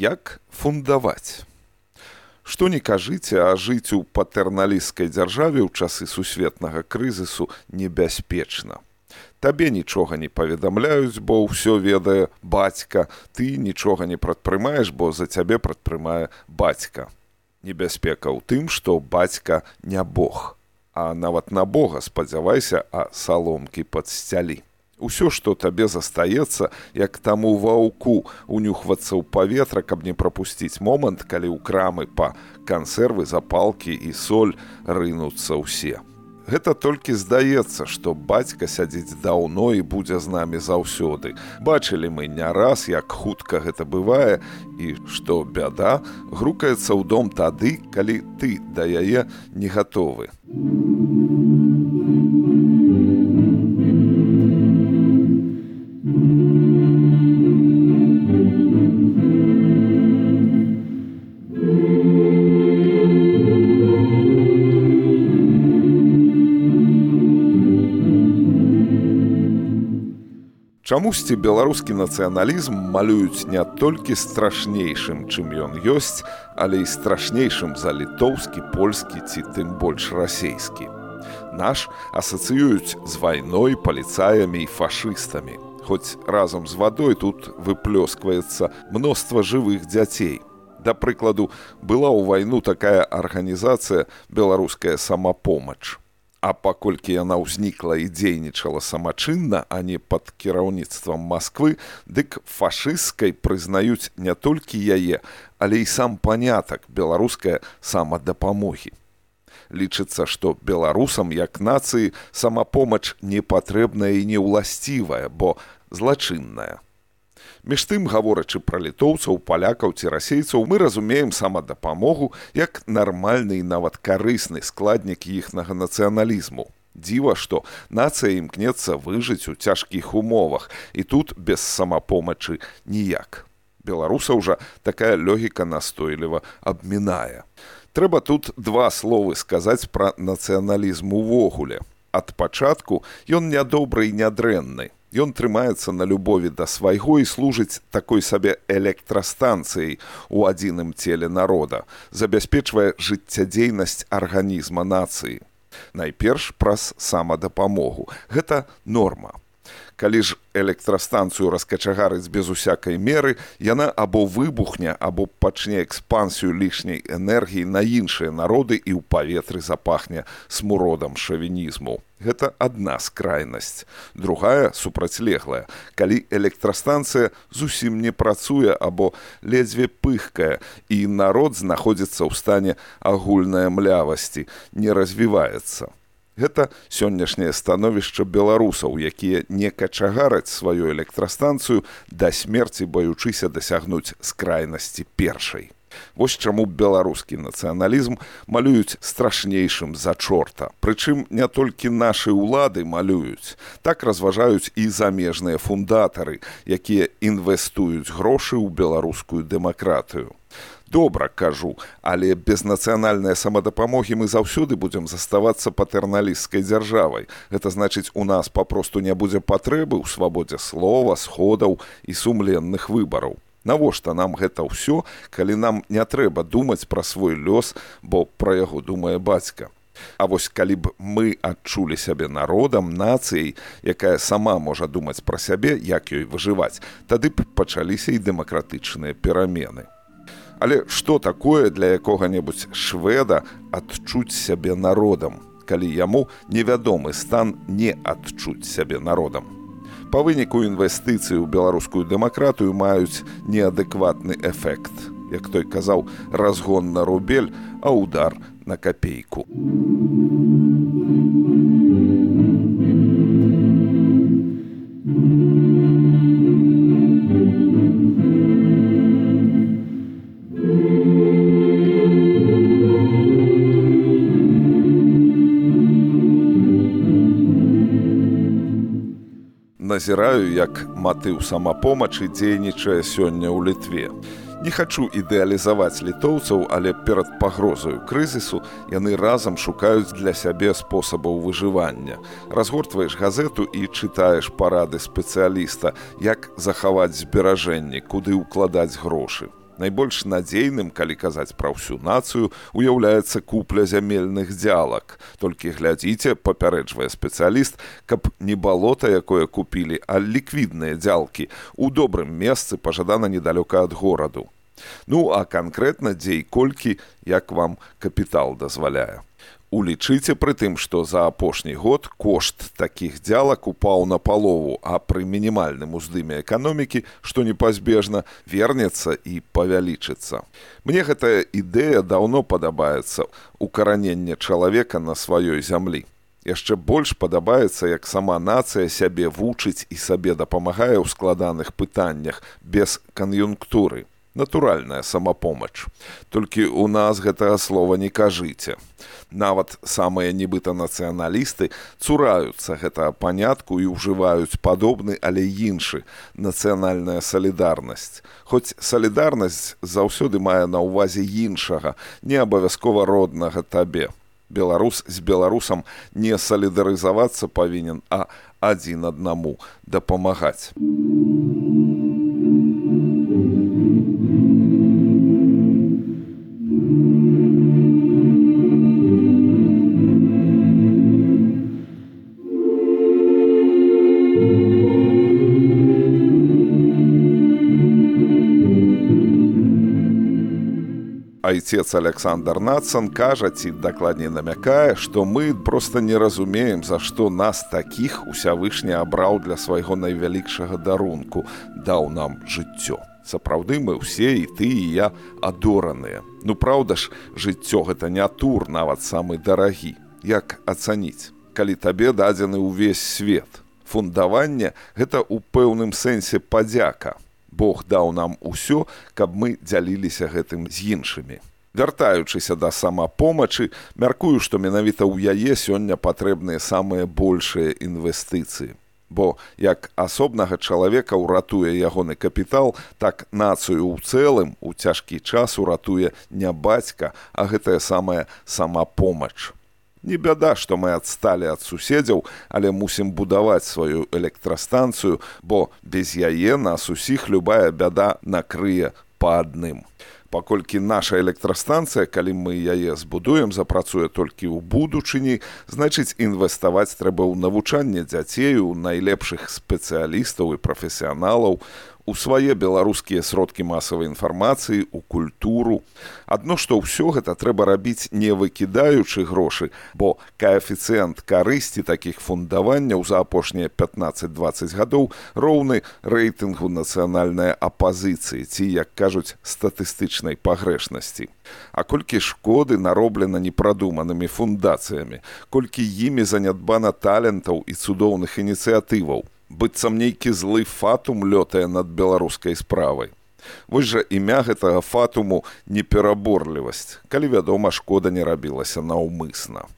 Як фундаваць? Што не кажыце, а жыць у патэрналісцкай дзяржаве ў часы сусветнага крызісу небяспечна. Табе нічога не паведамляюць, бо ўсё ведае бацька, ты нічога не прадпрымаеш, бо за цябе прадпрымае бацька. Небяспека ў тым, што бацька не Бог, а нават на Бога спадзявайся, а саломкі падсцялі. Усё, што табе застаецца, як таму ваўку унюхвацца ў паветра, каб не прапусціць момант, калі ў крамы па кансервы, запалкі і соль рынуцца ўсе. Гэта толькі здаецца, што бацька сядзіць даўно і будзе з намі заўсёды. Бачылі мы не раз, як хутка гэта бывае, і што бяда грукаецца ў дом тады, калі ты да яе не гатовы. Чамусьці беларускі нацыяналізм малююць не толькі страшнейшым, чым ён ёсць, але і страшнейшым за літоўскі, польскі ці тым больш расейскі. Наш асацыююць з вайной, паліцаямі і фашыстамі. Хоць разам з вадой тут выплёскваецца мноства жывых дзяцей. Да прыкладу, была ў вайну такая арганізацыя «Беларуская самапомач». А паколькі яна ўзнікла і дзейнічала самачынна, а не пад кіраўніцтвам Масквы, дык фашысцкай прызнаюць не толькі яе, але і сам панятак беларускай самадапамогі. Лічыцца, што беларусам, як нацыі, самапомач не патрэбная і не ўласцівая, бо злачынная. Між тым, гаворачы пра літоўцаў, палякаў ці расейцаў, мы разумеем самадапамогу як нармальны і нават карысны складнік іхнага нацыяналізму. Дзіва, што нацыя імкнецца выжыць у цяжкіх умовах, і тут без самапомачы ніяк. Беларусаў жа такая логіка настойліва абмінае. Трэба тут два словы сказаць пра нацыяналізм увогуле. Ад пачатку ён нядобры і нядрэнны. Ён трымаецца на любові да свайго і служыць такой сабе электрастанцыяй у адзіным целе народа, забяспечвае жыццядзейнасць арганізма нацыі. Найперш праз самадапамогу. Гэта норма. Калі ж электрастанцыю раскачагарыць без усякай меры, яна або выбухне, або пачне экспансію лішняй энергіі на іншыя народы і ў паветры запахне смуродам шавінізму. Гэта адна скрайнасць. Другая супрацьлеглая. Калі электрастанцыя зусім не працуе або ледзьве пыхкае, і народ знаходзіцца ў стане агульнай млявасці, не развіваецца. Гэта сённяшняе становішча беларусаў, якія не качагараць сваю электрастанцыю да смерці, баючыся дасягнуць скрайнасці першай. Вось чаму беларускі нацыяналізм малююць страшнейшым за чорта. Прычым не толькі нашы ўлады малююць. Так разважаюць і замежныя фундатары, якія інвестуюць грошы ў беларускую дэмакратыю. Добра, кажу, але без нацыянальнай самадапамогі мы заўсёды будзем заставацца патэрналісцкай дзяржавай. Гэта значыць, у нас папросту не будзе патрэбы ў свабодзе слова, сходаў і сумленных выбараў. Навошта нам гэта ўсё, калі нам не трэба думаць пра свой лёс, бо пра яго думае бацька? А вось калі б мы адчулі сябе народам, нацыяй, якая сама можа думаць пра сябе, як ёй выжываць, тады б пачаліся і дэмакратычныя перамены. Але што такое для якога-небудзь шведа адчуць сябе народам, калі яму невядомы стан не адчуць сябе народам? Па выніку інвестыцыі ў беларускую дэмакратыю маюць неадэкватны эфект. Як той казаў, разгон на рубель, а удар на капейку. Назіраю, як матыў самапомачы дзейнічае сёння ў Літве. Не хачу ідэалізаваць літоўцаў, але перад пагрозаю крызісу яны разам шукаюць для сябе спосабаў выжывання. Разгортваеш газету і чытаеш парады спецыяліста, як захаваць зберажэнні, куды ўкладаць грошы. Найбольш надзейным, калі казаць пра ўсю нацыю, уяўляецца купля зямельных дзялак. Толькі глядзіце, папярэджвае спецыяліст, каб не балота, якое купілі, а ліквідныя дзялкі у добрым месцы, пажадана недалёка ад гораду. Ну, а канкрэтна дзе і колькі, як вам капітал дазваляе. Улічыце пры тым, што за апошні год кошт такіх дзялак упаў на палову, а пры мінімальным уздыме эканомікі, што непазбежна, вернецца і павялічыцца. Мне гэтая ідэя даўно падабаецца, укараненне чалавека на сваёй зямлі. Яшчэ больш падабаецца, як сама нацыя сябе вучыць і сабе дапамагае ў складаных пытаннях, без кан'юнктуры. Натуральная самапомач. Толькі ў нас гэтага слова не кажыце. Нават самыя нібыта нацыяналісты цураюцца гэтага панятку і ўжываюць падобны, але іншы – нацыянальная салідарнасць. Хоць салідарнасць заўсёды мае на ўвазе іншага, не абавязкова роднага табе. Беларус з беларусам не салідарызавацца павінен, а адзін аднаму дапамагаць. Айцец Александр Нацан кажа, ці дакладней намякае, што мы проста не разумеем, за што нас такіх Усявышні абраў для свайго найвялікшага дарунку, даў нам жыццё. Сапраўды мы ўсе, і ты, і я, адораныя. Ну, праўда ж, жыццё гэта не тур, нават самы дарагі. Як ацаніць, калі табе дадзены ўвесь свет? Фундаванне – гэта ў пэўным сэнсе падзяка. Бог даў нам усё, каб мы дзяліліся гэтым з іншымі. Вяртаючыся да самапомачы, мяркую, што менавіта ў яе сёння патрэбныя самыя большыя інвестыцыі. Бо як асобнага чалавека ўратуе ягоны капітал, так нацыю ў цэлым у цяжкі час уратуе не бацька, а гэтая самая самапомач. Не бяда, што мы адсталі ад суседзяў, але мусім будаваць сваю электрастанцыю, бо без яе нас усіх любая бяда накрые па адным. Паколькі наша электрастанцыя, калі мы яе збудуем, запрацуе толькі ў будучыні, значыць інвеставаць трэба ў навучанне дзяцей, у найлепшых спецыялістаў і прафесіяналаў, у свае беларускія сродкі масавай інфармацыі, у культуру. Адно, што ўсё гэта трэба рабіць не выкідаючы грошы, бо каэфіцыент карысці такіх фундаванняў за апошнія 15-20 гадоў роўны рэйтынгу нацыянальнай апазіцыі, ці, як кажуць, статыстычнай пагрэшнасці. А колькі шкоды нароблена непрадуманымі фундацыямі, колькі імі занядбана талентаў і цудоўных ініцыятываў, быццам нейкі злы фатум лётае над беларускай справай. Вось жа імя гэтага фатуму непераборлівасць, калі, вядома, шкода не рабілася наўмысна.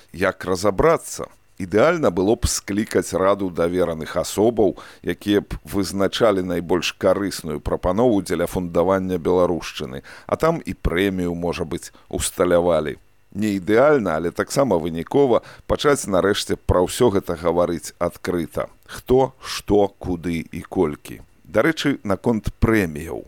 Як разабрацца? Ідэальна было б склікаць раду давераных асобаў, якія б вызначалі найбольш карысную прапанову дзеля фундавання беларушчыны, а там і прэмію, можа быць, усталявалі. Не ідэальна, але таксама вынікова пачаць нарэшце пра ўсё гэта гаварыць адкрыта. Хто, што, куды і колькі. Дарэчы, наконт прэміяў.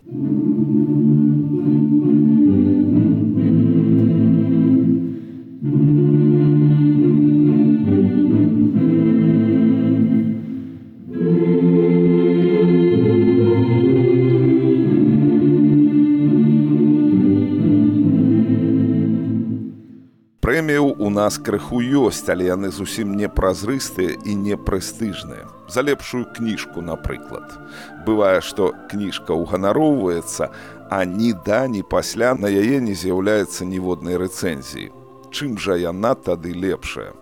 Прэміяў у нас крыху ёсць, але яны зусім не празрыстыя і не прэстыжныя. За лепшую кніжку, напрыклад. Бывае, што кніжка ўганароўваецца, а ні да, ні пасля на яе не з'яўляецца ніводнай рэцэнзіі. Чым жа яна тады лепшая?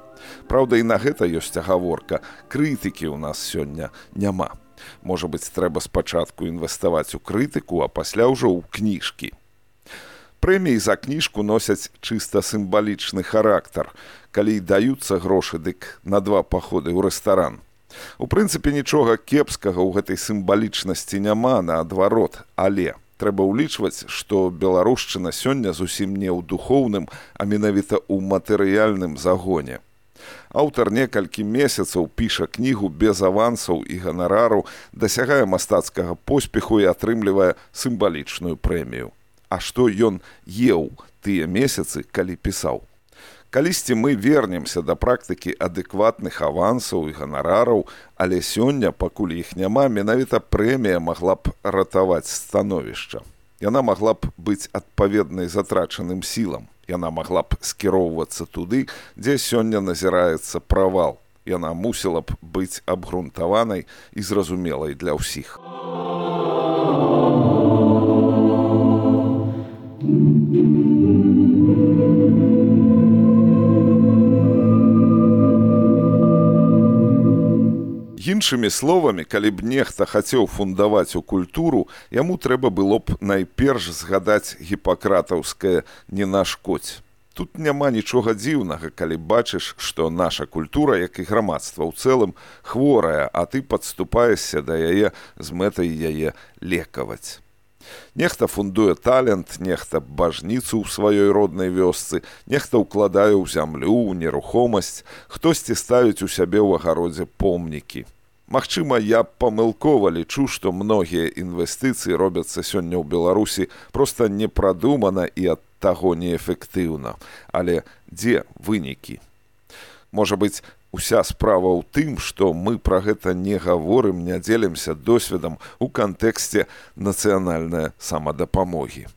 Праўда, і на гэта ёсць агаворка. Крытыкі ў нас сёння няма. Можа быць, трэба спачатку інвеставаць у крытыку, а пасля ўжо ў кніжкі. Прэміі за кніжку носяць чыста сімвалічны характар. Калі даюцца грошы, дык на 2 паходы ў рэстаран. У прынцыпе, нічога кепскага ў гэтай сімвалічнасці няма, наадварот, але трэба ўлічваць, што беларушчына сёння зусім не ў духоўным, а менавіта ў матэрыяльным загоне. Аўтар некалькі месяцаў піша кнігу без авансаў і ганарару, дасягае мастацкага поспеху і атрымлівае сімвалічную прэмію. А што ён еў тыя месяцы, калі пісаў? Калісьці мы вернемся да практыкі адэкватных авансаў і ганарараў, але сёння, пакуль іх няма, менавіта прэмія магла б ратаваць становішча. Яна магла б быць адпаведнай затрачаным сілам. Яна магла б скіроўвацца туды, дзе сёння назіраецца правал. Яна мусіла б быць абгрунтаванай і зразумелай для ўсіх. Іншымі словамі, калі б нехта хацеў фундаваць у культуру, яму трэба было б найперш згадаць гіпакратаўскае «не нашкодзь». Тут няма нічога дзіўнага, калі бачыш, што наша культура, як і грамадства ў цэлым, хворая, а ты падступаешся да яе з мэтай яе лекаваць. Нехта фундуе талент, нехта бажніцу ў сваёй роднай вёсцы, нехта ўкладае ў зямлю, ў нерухомасць, хтосьці ставіць у сябе ў агародзе помнікі. Магчыма, я памылкова лічу, што многія інвестыцыі робяцца сёння ў Беларусі проста непрадумана і ад таго неэфектыўна. Але дзе вынікі? Можа быць, уся справа ў тым, што мы пра гэта не гаворым, не дзелімся досведам у кантэксце нацыянальнай самадапамогі.